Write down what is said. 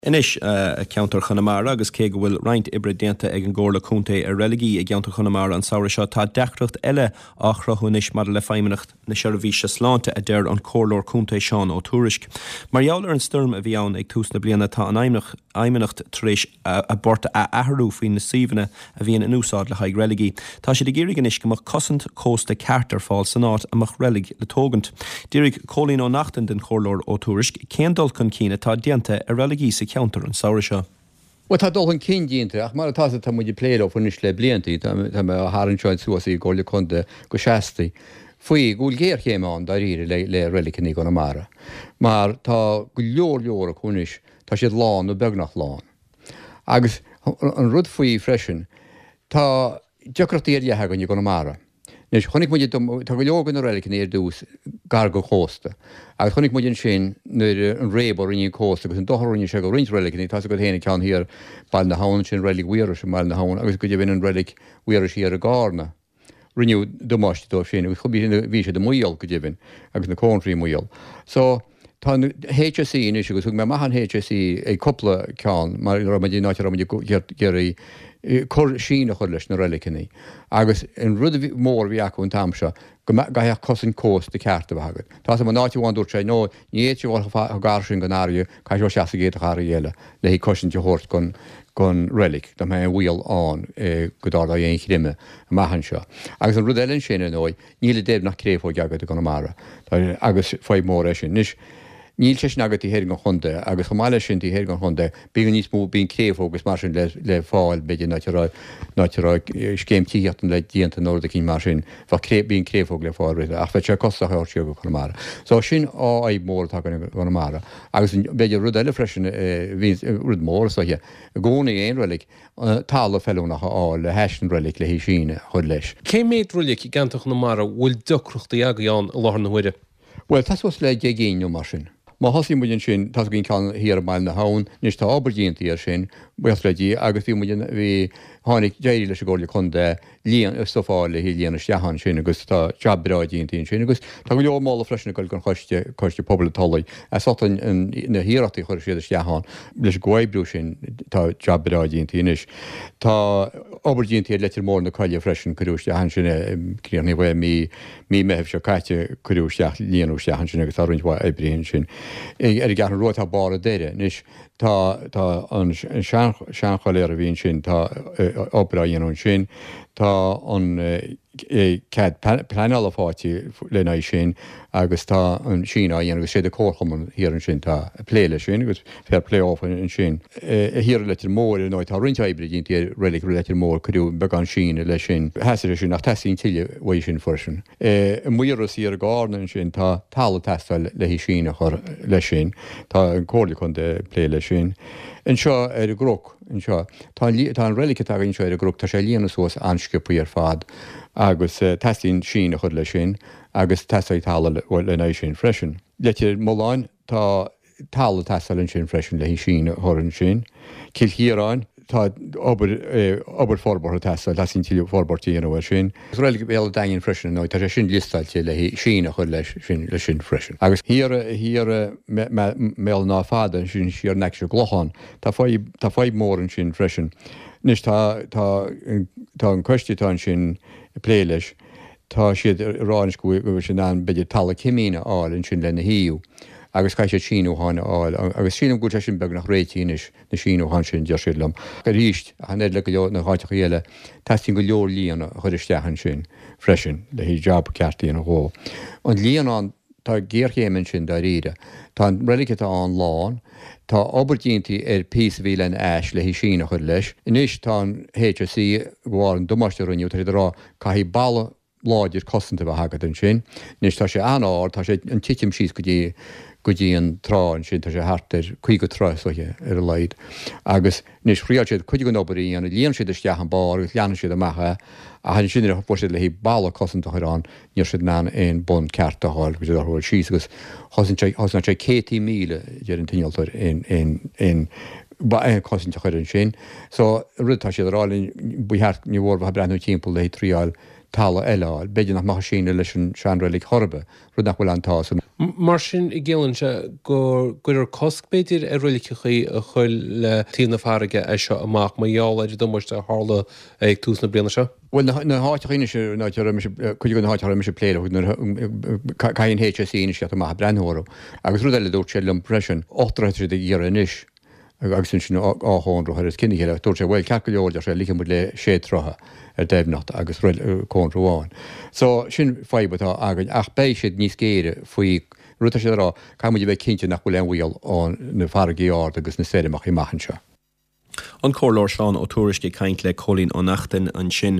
Anois, i gceantar Chonamara, agus cé go bhfuil roinnt oibre déanta ag an gComhairle Contae ar reiligí i gceantar Chonamara an samhradh seo, tá deacracht eile á chruthú anois maidir le Feidhmeannacht na Seirbhíse Sláinte, a deir an Comhairleoir Contae Seán Ó Tuairisg. Mar gheall ar an stoirm a bhí ann ag tús na bliana, tá an Fheidhmeannacht tar éis a bport a athrú faoi na suíomhanna a bhíonn in úsáid le haghaidh reiligí. Tá siad ag iarraidh anois go mbeadh cosaint cósta ceart ar fáil san áit a mbeadh reilig le tógaint. D'fhiafraigh Cóilín Ó Neachtain den Chomhairleoir Ó Tuairisg cén dul chun cinn atá déanta ar reiligí sa cheantar an samhradh seo. Bhuel, tá dul chun cinn déanta, ach mar atá tá muid ag plé leo anois le blianta, tá mé á tharraingt seo suas i gComhairle Contae go seasta, faoi go bhfuil géarchéim ann dáiríre le le reiligeanna i gConamara, mar tá go leor leor acu anois, tá siad lán nó beagnach lán. Agus an rud faoi freisin, tá deacrachtaí ar leith againn i gConamara. Anois, chonaic muid, tá go leor de na reiligeanna ar dtús gar go chósta, agus chonaic muid ansin nuair an réabadh a rinne an cósta agus an dochar a rinne sé go roinnt reiligeanna, tá's agat féin an ceann thiar Baile na hAbhann, sin reilig Mhaorais i mBaile na hAbhann agus go deimhin an reilig Mhaorais thiar i gCarna. Rinneadh damáiste dóibh sin agus bhí siad i mbaol, go deimhin, agus na cónraí i mbaol. So, tá an HSE anois, agus thug mé amach an HSE ag cúpla ceann, mar a raibh muid, in áit a raibh muid ag iarraidh cur síneadh a chur leis na reiligeanna. Agus an rud mór a bhí acu an t-am seo, go gcaithfeadh cosaint cósta ceart a bheith agat. Tá 's agam, in áit amháin dúirt sé, no, ní fhéadfaidh sé dhul chomh gar sin don fharraige, caithfidh sé seasamh sa gcéad charraig eile le haghaidh cosaint a thabhairt don don reilig, dá mbeadh aon bhaol ann go dtarlódh aon chreimeadh amach anseo. Agus an rud eile ansin, ar ndóigh, níl a deimhin ach créafóig agat i gConamara, agus fadhb mhór é sin. Anois, níl sé sin agat taobh thoir den chontae, agus chomh maith leis sin, taobh thoir den chontae, bíonn níos mó, bíonn créafóg agus mar sin le le fáil, b'fhéidir, in áit a raibh, in áit a raibh scéim tithíochta le déanta nó rud eicínt mar sin, bheadh cré, bíonn créafóg le fáil roimhe, ach bheadh sé costasach a thabhairt siar go Conamara. So, sin fadhb mhór atá againn i gConamara. Agus b'fhéidir rud eile freisin, bhí rud mór is dóiche, i gcónaí aon reilig, talamh feiliúnach a fháil le hais an reilig le haghaidh síneadh a chur leis. Cé mhéad reilig i gceantar Chonamara a bhfuil deacrachtaí agaibh ann i láthair na huaire? Bhuel, tá suas le 10 gcinn nó mar sin. Má thosaíonn muid ansin, tá againn ceann thiar i mBaile na hAbhann, anois tá obair déanta air sin, buíochas le Dia, agus bhí muid in, bhí, tháinig, d'éirigh leis an gComhairle Contae líon, stuif a fháil le haghaidh líonadh isteach ansin agus tá jab breá déanta ansin agus tá go leor moladh freisin ag dul don choiste, Coiste Pobail an Tulaigh, as ucht an, an, na hiarrachtaí a chuir siad isteach ann. Leis an gcomhoibriú sin tá jab breá déanta anois. Tá obair déanta ar Leitir Móir na Coille freisin, cuireadh isteach ansin é, críochnaíodh é mí, Mí Meithimh seo caite cuireadh isteach, líonadh isteach ansin agus tá roinnt mhaith oibrithe ansin. Ar an gCeathrú Rua tá Barr an Doire anois, tá, tá an seanchoiléar a bhí ansin, tá obair á dhéanamh ansin, tá an cead pleanála faighte lena aghaidh sin agus tá an síneadh á dhéanamh agus sé an comharchumann thiar ansin atá ag plé leis sin agus fair play dófa ansin. Thiar i Leitir Móir, ar ndóigh, tá roinnt oibre déanta ar reilig Leitir Móir, cuireadh beagán síneadh leis sin, theastaigh sé sin ach teastaíonn tuilleadh uaidh sin freisin. I Maoras thiar i gCarna ansin, tá talamh ag teastáil le haghaidh síneadh a chur leis sin, tá an Comhairle Contae ag plé leis sin. Anseo ar an gCnoc anseo, tá an tá an reilig atá againn anseo ar an gCnoc, tá sé ag líonadh suas an-sciobthaí ar fad agus teastaíonn síneadh a chur leis sin agus teastóidh talamh lena aghaidh sin freisin. Leitir Mealláin, tá talamh ag teastáil ansin freisin le haghaidh síneadh a chur ansin. Cill Chiaráin, tá obair, obair forbartha ag teastáil, teastaíonn tuilleadh forbairt a dhéanamh air sin. Reilig Bhéal an Daingin freisin, ar ndóigh, tá sé sin liostáilte le haghaidh síneadh a chur leis sin, leis sin freisin. Agus thiar, thiar i mBéal an Átha Fada, ansin siar in aice an gClochán, tá fadhb, tá fadhb mhór ansin freisin. Anois tá, tá, tá an coiste atá ansin ag plé leis, Tá siad ag rá anois go bhfuil siad in ann b'fhéidir talamh cimín a fháil ansin lena shuíomh agus caithfidh siad síniúcháin a fháil agus sílim go bhfuil sé sin beagnach réitithe anois, na síniúcháin sin, deir siad liom. Arís, ach an oiread le go leor na háiteachaí eile, teastaíonn go leor líonadh a chur isteach ansin freisin le haghaidh jab ceart a dhéanamh dhó. An líonán. Tá géarchéim ansin dáiríre. Tá an reilig atá ann lán. Tá obair déanta ar phíosa a bhí lena ais le haghaidh síneadh a chur leis. Anois tá an HSE, de bharr an damáiste a rinneadh, tá siad ag rá caithfidh balla láidir cosanta a bheith agat ansin. Anois tá sé an-ard, tá sé an titim síos go dtí go dtí an trá ansin, tá sé thart ar 50 troigh is dóiche ar a laghad. Agus anois thriáil siad cuid den obair a dhéanamh, líon siad isteach an barr agus leathnaigh siad amach é ach ansin nuair a fuair siad le haghaidh balla cosanta a chur ann, Ní raibh siad in ann aon bun ceart a fháil go dtí orthu dul síos agus chosain sé, chosnaigh sé céadtaí míle, a deir an t-innealtóir, aon, aon, aon, aon chosaint a chur ansin. So, rud atá siad a rá linn, ba cheart, ní mhór bheith ag breathnú timpeall le haghaidh triáil talamh eile a fháil. B'fhéidir nach mbeadh síneadh leis an seanreilig chor ar bith, rud nach bhfuil an-tá san. Mar sin, ciallaíonn sé go gcuirfear cosc, b'fhéidir, ar reiligeachaí a chur le taobh na farraige as seo amach mar gheall ar an damáiste a tharla ag tús na bliana seo? Bhuel, na háiteacha anois, an áit a raibh mise, cuid de na háiteacha a raibh mise ag plé leo, nuair a, caithfidh an HSE anois teacht amach ag breathnú orthu. Agus rud eile a dúirt siad liom freisin, 8 dtroithe atá siad ag iarraidh anois. Agus ansin á chónra ar os cionn a chéile. Dúirt sé, bhuel, ceart go leor, deir sé, ligfidh muid le sé troithe ar doimhneacht agus cónra amháin. So, sin fadhb atá againn ach beidh siad níos géire faoi, rud atá siad a rá, caithfidh muid a bheith cinnte nach bhfuil aon bhaol ó na farraigí arda agus na stoirmeacha amach anseo. An Comhairleoir Seán Ó Tuairisg ag caint le Cóilín Ó Neachtain ansin.